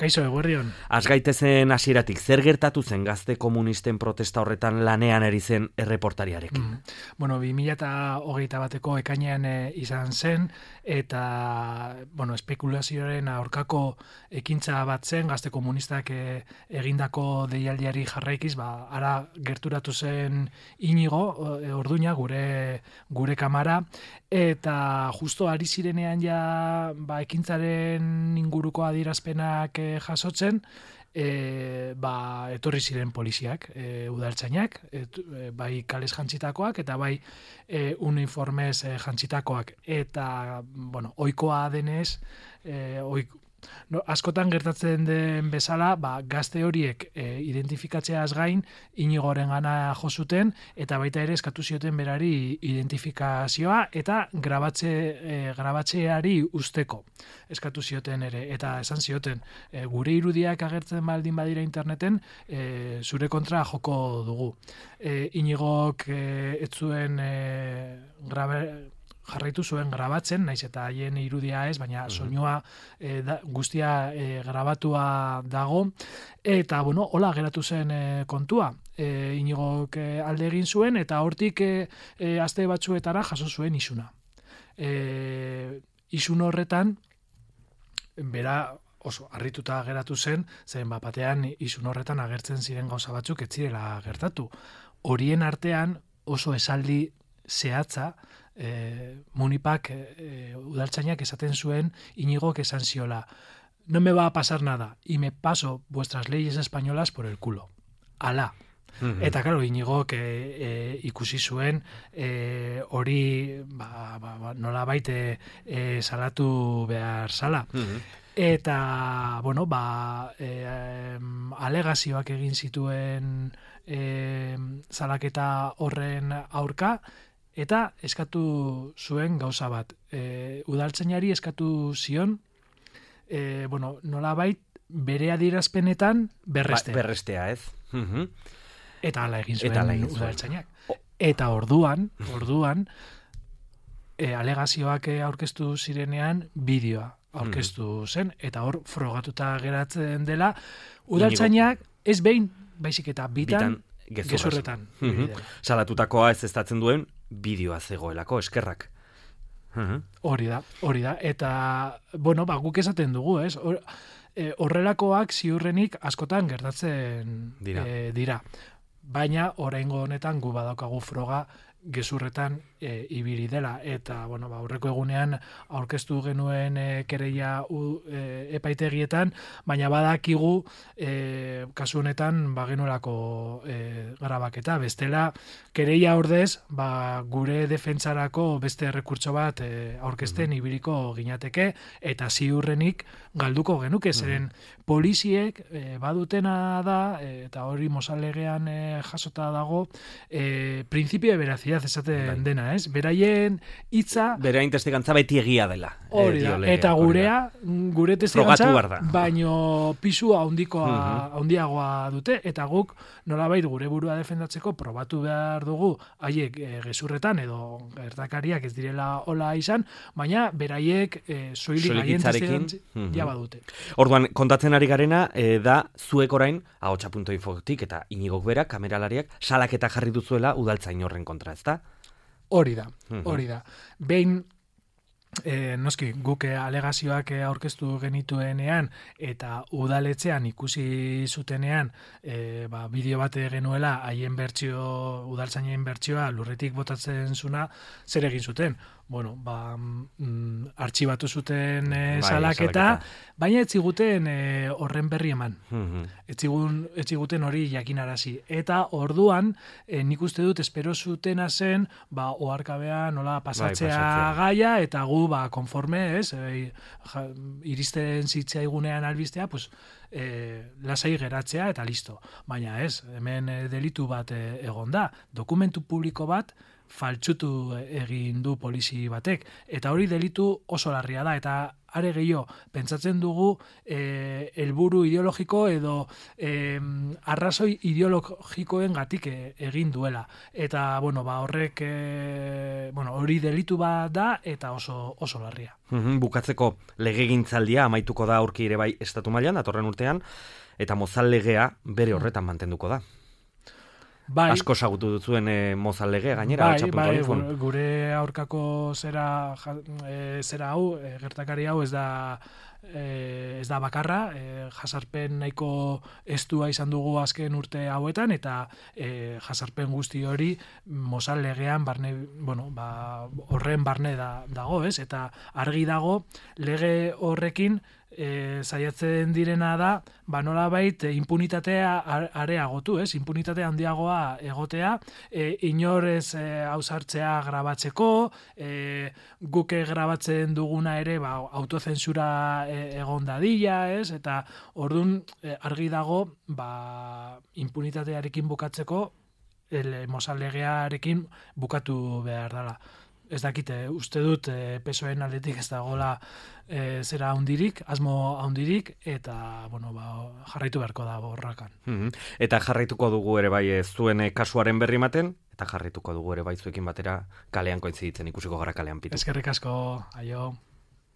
Kaixo, eguerdion. Az gaitezen hasieratik, zer gertatu zen gazte komunisten protesta horretan lanean ari zen erreportariarekin? Bueno, 2021 ekainean izan zen, eta espekulazioaren aurkako ekintza bat zen, gazte komunistak egindako deialdiari jarraikiz, ara gerturatu zen Inigo Orduña, gure kamara, eta justo ari zirenean ja ekintzaren inguruko adierazpenak jasotzen, etorri ziren poliziak, udaltzainak, bai kales jantzitakoak eta bai uniformez jantzitakoak, eta ohikoa denez, askotan gertatzen den bezala, gazte horiek identifikatzeaz gain Inigoren gana jo zuten, eta baita ere eskatu zioten berari identifikazioa eta grabatzeari usteko eskatu zioten ere, eta esan zioten gure irudiak agertzen baldin badira interneten, zure kontra joko dugu. Inigok ez zuen jarraitu zuen grabatzen, naiz eta haien irudia ez, baina soinua guztia grabatua dago, eta hola geratu zen kontua. Inigok alde egin zuen, eta hortik aste batzuetara jaso zuen isuna. Isun horretan, bera oso harrituta geratu zen, zen batean isun horretan agertzen ziren gauza batzuk ez zirela gertatu. Horien artean oso esaldi zehatza, Munipak udaltzainak esaten zuen Inigok esan ziola: no me va a pasar nada y me paso vuestras leyes españolas por el culo. Ala. Eta claro, Inigok ikusi zuen hori nolabait salatu behar zala. Eta, alegazioak egin zituen salaketa horren aurka, eta eskatu zuen gauza bat. Udaltzainari eskatu zion, nolabait bere adierazpenetan berrestea. Berrestea, ez? Eta hala egin zuen udaltzainak. Eta orduan, alegazioak aurkeztu zirenean bideoa aurkeztu zen, eta hor frogatuta geratzen dela, udaltzainak ez behin, baizik eta bitan gezurretan. Salatutakoa ez estatzen duen bideoa zegoelako, eskerrak. Hori da. Eta, guk esaten dugu, ez? Horrelakoak ziurrenik askotan gertatzen dira. Baina, oraingo honetan gu badaukagu froga gezurretan ibili dela, eta aurreko egunean aurkeztu genuen kereia epaitegietan, baina badakigu kasu honetan genuelako grabaketa, bestela kereia ordez gure defentsarako beste errekurtso bat aurkezten ibiliko ginateke, eta ziurrenik galduko genuke, zeren poliziek badutena da, eta hori Mozal-legean jasota dago, principio de veracidad esaten dena, ez? Beraien hitza... Beraien testigantza beti egia dela. Hori da, eta gure testigantza, baino pisu handiagoa dute, eta guk nolabait gure burua defendatzeko probatu behar dugu haiek gezurretan edo gertakariak ez direla hola izan, baina beraiek soilik haien testigantza jaba dute. Orduan, kontatzen ari garena, da zuek orain, ahotsa.infotik eta Inigok berak, kameralariak, salaketa jarri duzuela udaltzain horren kontra, ezta? Hori da. Behin, noski, guk alegazioak aurkeztu genituenean eta udaletxean ikusi zutenean bideo bat genuela haien udaltzainen bertsioa lurretik botatzen zuna, zer egin zuten? Artxibatu zuten salaketa, baina ez ziguten horren berri eman. Ez ziguten hori jakinarazi. Eta orduan, nik uste dut espero zutena zen, oharkabean nola pasatzea gaia, eta gu konforme, iristen zitzaigunean albistea, lasai geratzea eta listo. Baina ez, hemen delitu bat egon da. Dokumentu publiko bat faltsutu egin du polizi batek, eta hori delitu oso larria da, eta are gehiago, pentsatzen dugu helburu ideologiko edo arrazoi ideologikoen gatik egin duela. Eta, horrek, hori delitu bat da eta oso larria. Bukatzeko legegintzaldia amaituko da aurki ere bai estatu mailan datorren urtean, eta Mozal legea bere horretan mantenduko da. Bai, asko sagutu duzuen Mozal legea gainera. Bai, gure aurkako zera hau, gertakari hau ez da bakarra, jasarpen nahiko estua izan dugu azken urte hauetan, eta jasarpen guzti hori Mozal legean horren barne dago, ez? Eta argi dago lege horrekin saiatzen direna da, nolabait impunitatea areagotu, ez? Impunitate handiagoa egotea, inorez ausartzea grabatzeko, guke grabatzen duguna ere autozensura egon dadila, ez? Eta ordun argi dago impunitatearekin bukatzeko Mozal legearekin bukatu behar dela. Ez dakite, uste dut PSOEren aldetik ez dagoela zera handirik, asmo handirik, eta jarraitu beharko da borrakan. Eta jarraituko dugu ere bai zuen kasuaren berri ematen, eta jarraituko dugu ere bai zuekin batera kalean kointziditzen, ikusiko gara kalean, Pitu. Eskerrik asko, aio.